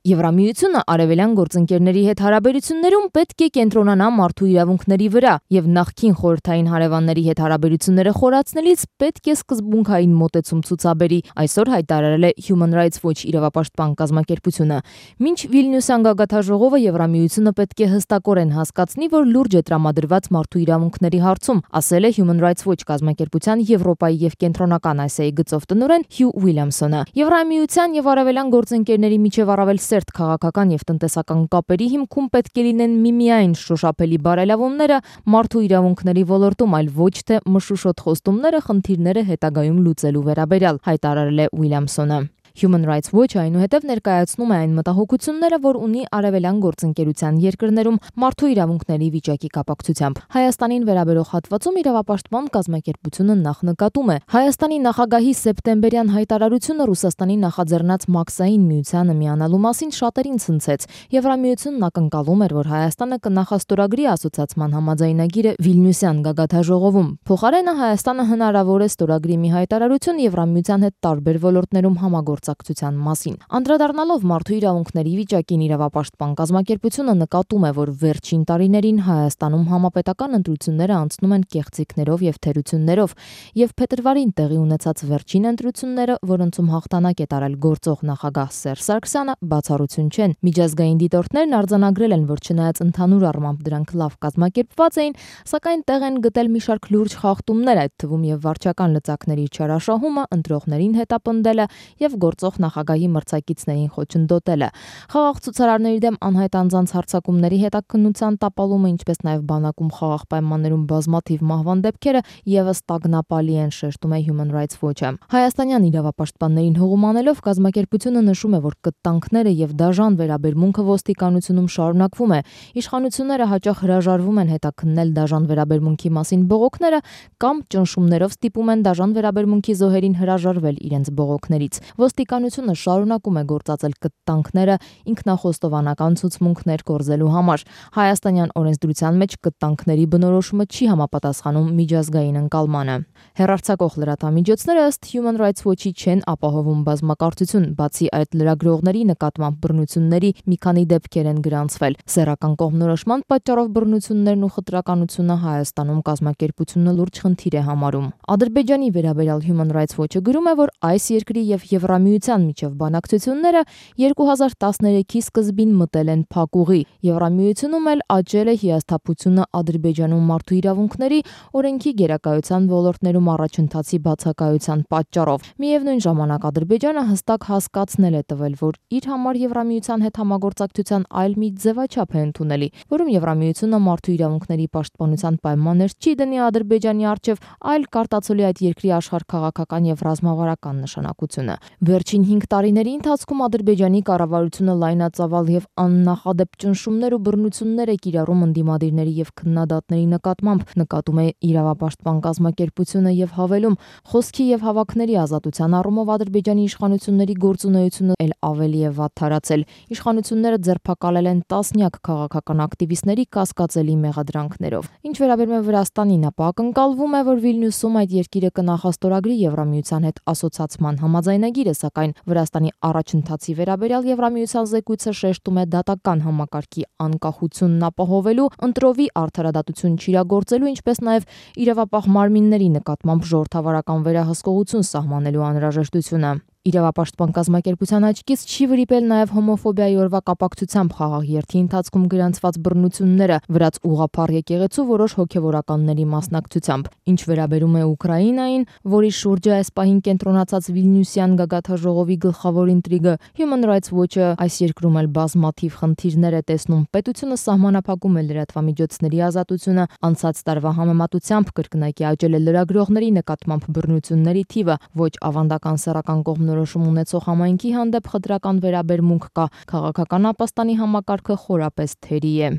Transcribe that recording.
Եվրամիությունը արևելյան գործընկերների հետ հարաբերություններում պետք է կենտրոնանա մարդու իրավունքների վրա եւ նախկին խորհրդային հարևանների հետ հարաբերությունները խորացնելիս պետք է սկզբունքային մոտեցում ցուցաբերի, այսօր հայտարարել է Human Rights Watch իրավապաշտպան կազմակերպությունը։ Մինչ Վիլնյուսյան գագաթնաժողովը Եվրամիությունը պետք է հստակորեն հասկացնի, որ լուրջ է տրամադրված մարդու իրավունքների հարցում, ասել է Human Rights Watch կազմակերպության Եվրոպայի եւ Կենտրոնական Ասիայի գծով տնօրեն Հյու Ուիլյամսոնը։ Եվրամիության եւ արևելյան գործընկերների միջև առավել սերտ քաղաքական եւ տնտեսական կապերի հիմքում պետք է լինեն միմիայն շոշափելի բարելավումները մարդու իրավունքների ոլորտում, այլ ոչ թե մշուշոտ խոստումները խնդիրները հետագայում լուծելու վերաբերյալ, հայտարարել է Ուիլյամսոնը։ Human Rights Watch այնուհետև ներկայացնում է այն մտահոգությունները, որ ունի արևելյան գործընկերության երկրներում մարդու իրավունքների վիճակի կապակցությամբ։ Հայաստանին վերաբերող հատվածում իրավապաշտպան կազմակերպությունը նախ նկատում է Հայաստանի նախագահի սեպտեմբերյան հայտարարությունը Ռուսաստանի նախաձեռնած Մաքսային միությանը միանալու մասին շատերին ցնցեց։ Եվրամիությունն ակնկալում էր, որ Հայաստանը կնախաստորագրի ասոցիացման համաձայնագիրը Վիլնյուսյան գագաթնաժողովում։ Փոխարենը Հայաստանը հնարավոր է ստորագրի մի հայտարարություն Եվրամիության հետ տարբեր ոլորտներում համագործակցության մասին։ Անդրադառնալով մարդու իրավունքների վիճակին, իրավապաշտպան կազմակերպությունը նկատում է, որ վերջին տարիներին Հայաստանում համապետական ընտրությունները անցնում են կեղծիքներով եւ թերություններով, եւ փետրվարին տեղի ունեցած վերջին ընտրությունները, որոնցում հաղթանակ է տարել գործող նախագահ Սերժ Սարգսյանը, բացառություն չեն։ Միջազգային դիտորդներն արձանագրել են, որ չնայած ընդհանուր առմամբ դրանք լավ կազմակերպված էին, սակայն տեղ են գտել մի շարք լուրջ խախտումներ, այդ թվում եւ վարչական լծակների չարաշահումը, ընտրողներին հետապնդելը եւ գործող նախագահի մրցակիցներին խոչընդոտելը։ Խաղաղ ցուցարարների դեմ անհայտ անձանց հարձակումների հետաքննության տապալումը, ինչպես նաեւ բանակում խաղաղ պայմաններում բազմաթիվ մահվան դեպքերը եւս տագնապալի են, շեշտում է Human Rights Watch-ը։ Հայաստանյան իրավապաշտպաններին հողում անելով կազմակերպությունը նշում է, որ կտանքները եւ դաժան վերաբերմունքը ոստիկանությունում շարունակվում է։ Իշխանությունները հաճախ հրաժարվում են հետաքննել դաժան վերաբերմունքի մասին բողոքները կամ ճնշումներով ստիպում են դաժան վերաբերմունքի զոհերին հրաժարվել իրենց բողոքներից։ Ոստիկանությունը շարունակում է գործածել կտանքները ինքնախոստովանական ցուցմունքներ կորզելու համար։ Հայաստանյան օրենսդրության մեջ կտանքների բնորոշումը չի համապատասխանում միջազգային ընկալմանը։ Հեռարձակող լրատվամիջոցները ըստ Human Rights Watch-ի չեն ապահովում բազմակարծություն, բացի այդ լրագրողների նկատմամբ բռնությունների մի քանի դեպքեր են գրանցվել։ Սեռական կողմնորոշման պատճառով բռնություններն ու խտրականությունը Հայաստանում կազմակերպությունը լուրջ խնդիր է համարում։ Ադրբեջանի վերաբերյալ Human Rights Watch-ը գրում է, որ այս երկրի եւ Եվրամիության միջև բանակցությունները 2013-ի սկզբին մտել են փակուղի։ Եվրամիությունում էլ աճել է հիասթափությունը Ադրբեջանում մարդու իրավունքների օրենքի գերակայության ոլորտներում առաջընթացի բացակայության պատճառով։ Միևնույն ժամանակ Ադրբեջանը հստակ հասկացնել է տվել, որ իր համար Եվրամիության հետ համագործակցության այլ մի ձևաչափ է ընդունելի, որում Եվրամիությունը մարդու իրավունքների պաշտպանության պայմաններ չի դնի Ադրբեջանի առջև, այլ կարտացոլի այդ երկրի աշխարհքաղաքական եւ ռազմավարական նշանակությունը։ Վերջին 5 տարիների ընթացքում Ադրբեջանի կառավարությունը լայնածավալ եւ աննախադեպ ճնշումներ ու բռնություններ է կիրառում ընդդիմադիրների եւ քննադատների նկատմամբ, նկատում է իրավապաշտպան կազմակերպությունը եւ հավելում, խոսքի եւ հավաքների ազատության առումով Ադրբեջանի իշխանությունների գործունեությունը ել ավելի է վատթարացել։ Իշխանությունները ձերբակալել են տասնյակ քաղաքական ակտիվիստների կասկածելի մեղադրանքներով։ Ինչ վերաբերում է Վրաստանին, ապա ակնկալվում է, որ Վիլնյուսում այդ երկիրը կնախաստորագրի Եվրամիության հետ ասոցիացման համաձայնագիրը, սակայն Վրաստանի առաջընթացի վերաբերյալ Եվրամիության զեկույցը շեշտում է դատական համակարգի անկախությունն ապահովելու, ընտրովի արդարադատություն չիրագործելու, ինչպես նաև իրավապահ մարմինների նկատմամբ ժողովրդավարական վերահսկողություն սահմանելու անհրաժեշտությունը։ Իրավապաշտպան կազմակերպության աչքից չի վրիպել նաև հոմոֆոբիայի օրվա կապակցությամբ խաղաղ երթի ընթացքում գրանցված բռնությունները վրաց ուղղափառ եկեղեցու որոշ հոգևորականների մասնակցությամբ։ Ինչ վերաբերում է Ուկրաինային, որի շուրջը այս պահին կենտրոնացած Վիլնյուսյան գագաթնաժողովի գլխավոր ինտրիգը, Human Rights Watch-ը այս երկրում էլ բազմաթիվ խնդիրներ է տեսնում։ Պետությունը սահմանափակում է լրատվամիջոցների ազատությունը, անցած տարվա համեմատությամբ կրկնակի աճել է լրագրողների նկատմամբ բռնությունների թիվը, ոչ ավանդական սեռական կողմնորոշում ունեցող համայնքի հանդեպ խտրական վերաբերմունք կա, քաղաքական ապաստանի համակարգը խորապես թերի է։